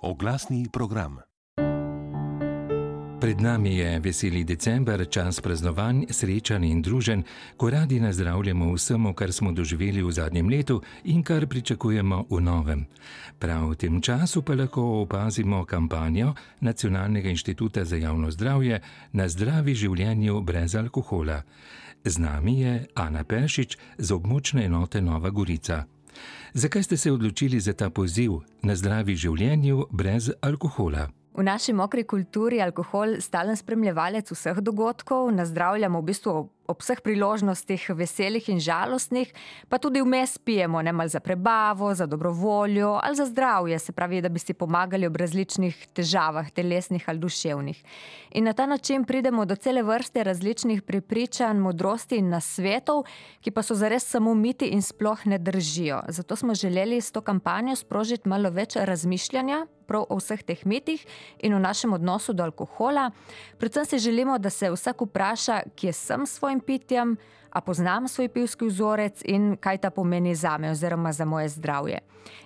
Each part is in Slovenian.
Oglasni program. Pred nami je veseli december, čas praznovanj, srečanj in druženj, ko radi nazdravljamo vsemu, kar smo doživeli v zadnjem letu in kar pričakujemo v novem. Prav v tem času pa lahko opazimo kampanjo Nacionalnega inštituta za javno zdravje Na zdravi življenju brez alkohola. Z nami je Ana Peršič z območne enote Nova Gorica. Zakaj ste se odločili za ta poziv Na zdravi življenju brez alkohola? V naši mokri kulturi je alkohol stalen spremljevalec vseh dogodkov, nazdravljamo v bistvu ob vseh priložnostih veselih in žalostnih, pa tudi vmes pijemo, malo za prebavo, za dobrovoljo ali za zdravje, se pravi, da bi si pomagali ob različnih težavah, telesnih ali duševnih. In na ta način pridemo do cele vrste različnih prepričanj, modrosti in nasvetov, ki pa so zares samo miti in sploh ne držijo. Zato smo želeli s to kampanjo sprožiti malo več razmišljanja prav o vseh teh mitih in o našem odnosu do alkohola. Predvsem si želimo, da se vsak vpraša, kje sem s svojim pitjem, a poznam svoj pivski vzorec in kaj ta pomeni zame oziroma za moje zdravje.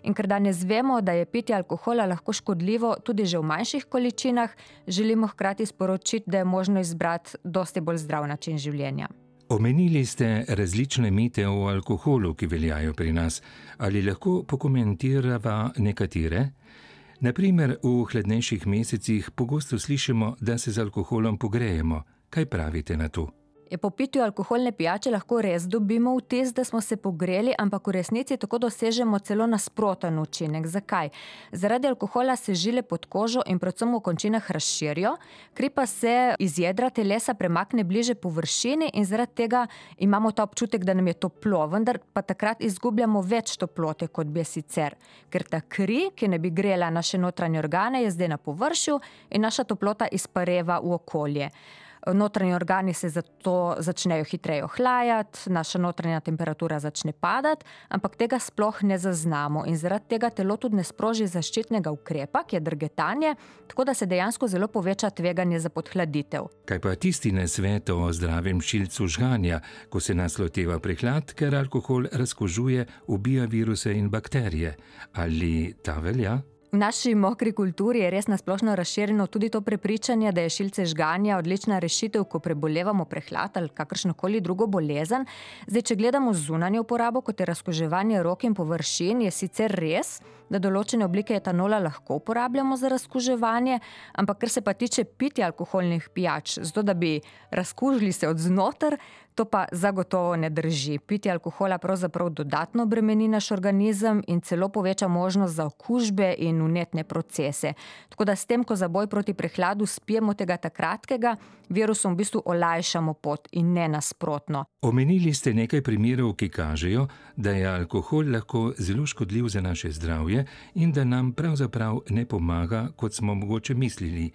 In ker danes vemo, da je pitje alkohola lahko škodljivo tudi že v manjših količinah, želimo hkrati sporočiti, da je možno izbrati dosti bolj zdrav način življenja. Omenili ste različne mite o alkoholu, ki veljajo pri nas. Ali lahko pokomentirava nekatere? Naprimer, v hladnejših mesecih pogosto slišimo, da se z alkoholom pogrejemo. Kaj pravite na to? Po pitju alkoholne pijače lahko res dobimo vtis, da smo se pogreli, ampak v resnici tako dosežemo celo nasproten učinek. Zakaj? Zaradi alkohola se žile pod kožo in predvsem v končinah razširijo, kri pa se iz jedra telesa premakne bliže površini in zaradi tega imamo ta občutek, da nam je toplo, vendar pa takrat izgubljamo več toplote, kot bi je sicer. Ker ta kri, ki ne bi grela naše notranje organe, je zdaj na površju in naša toplota izpareva v okolje. Notranji organi se zato začnejo hitreje ohlajati, naša notranja temperatura začne padati, ampak tega sploh ne zaznamo in zaradi tega telo tudi ne sproži zaščitnega ukrepa, ki je drgetanje, tako da se dejansko zelo poveča tveganje za podhladitev. Kaj pa tisti nasvet o zdravem šilcu žganja, ko se nas loteva prehlad, ker alkohol razkužuje, ubija viruse in bakterije? Ali ta velja? V naši mokri kulturi je res nasplošno razširjeno tudi to prepričanje, da je šilce žganja odlična rešitev, ko prebolevamo prehlad ali kakršnokoli drugo bolezen. Zdaj, če gledamo zunanjo uporabo, kot je razkuževanje rok in površin, je sicer res, da določene oblike etanola lahko uporabljamo za razkuževanje, ampak ker se pa tiče pitja alkoholnih pijač, zato da bi razkužili se od znotraj, to pa zagotovo ne drži. Pitje alkohola pravzaprav dodatno bremeni naš organizem in celo poveča možnost za okužbe in vnetne procese. Tako da s tem, ko za boj proti prehladu spijemo tega kratkega, virusom v bistvu olajšamo pot in ne nasprotno. Omenili ste nekaj primerov, ki kažejo, da je alkohol lahko zelo škodljiv za naše zdravje in da nam pravzaprav ne pomaga, kot smo mogoče mislili.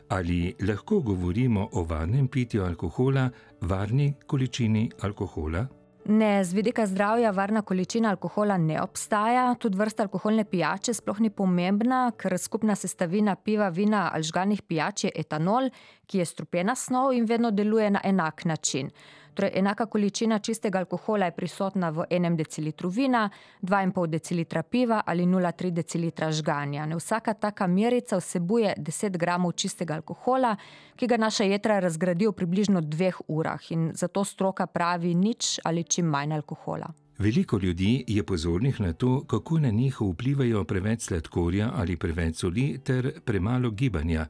Ali lahko govorimo o varnem pitju alkohola, varni količini alkohola? Ne, z vidika zdravja varna količina alkohola ne obstaja, tudi vrsta alkoholne pijače sploh ni pomembna, ker skupna sestavina piva, vina ali žganih pijač je etanol, ki je strupena snov in vedno deluje na enak način. Torej, enaka količina čistega alkohola je prisotna v 1 decilitru vina, 2,5 decilitra piva ali 0,3 decilitra žganja. Vsaka taka merica vsebuje 10 gramov čistega alkohola, ki ga naša jetra razgradijo v približno 2 urah in zato stroka pravi nič ali čim manj alkohola. Veliko ljudi je pozornih na to, kako na njih vplivajo preveč sladkorja ali preveč soli ter premalo gibanja.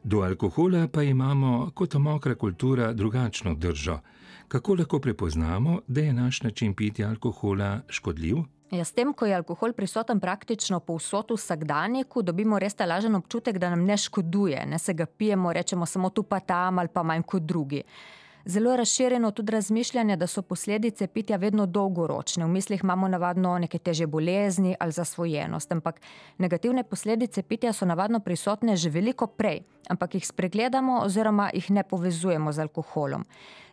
Do alkohola pa imamo kot mokra kultura drugačno držo. Kako lahko prepoznamo, da je naš način pitja alkohola škodljiv? S tem, ko je alkohol prisoten praktično povsod v vsakdanjiku, dobimo res ta lažen občutek, da nam ne škoduje. Ne se ga pijemo, rečemo samo tu pa tam ali pa manj kot drugi. Zelo je razširjeno tudi razmišljanje, da so posledice pitja vedno dolgoročne. V mislih imamo navadno neke težje bolezni ali zasvojenost, ampak negativne posledice pitja so navadno prisotne že veliko prej, ampak jih spregledamo oziroma jih ne povezujemo z alkoholom.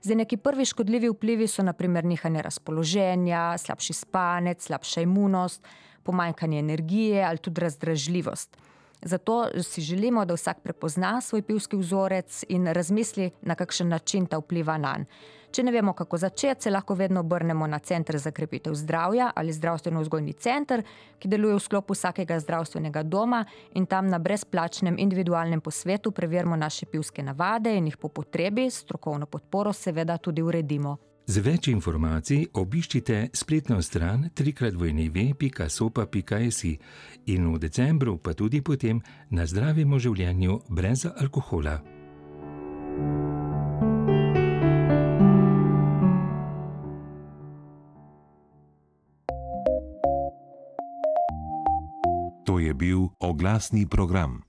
Zdaj, neki prvi škodljivi vplivi so na primer nihanje razpoloženja, slabši spanec, slabša imunost, pomanjkanje energije ali tudi razdražljivost. Zato si želimo, da vsak prepozna svoj pivski vzorec in razmisli, na kakšen način ta vpliva nanj. Če ne vemo, kako začeti, se lahko vedno obrnemo na Center za krepitev zdravja ali zdravstveno-vzgojni center, ki deluje v sklopu vsakega zdravstvenega doma in tam na brezplačnem individualnem posvetu preverimo naše pivske navade in jih po potrebi, s strokovno podporo seveda tudi uredimo. Za več informacij obiščite spletno stran www.sopa.si in v decembru pa tudi potem na zdravem življenju brez alkohola. To je bil oglasni program.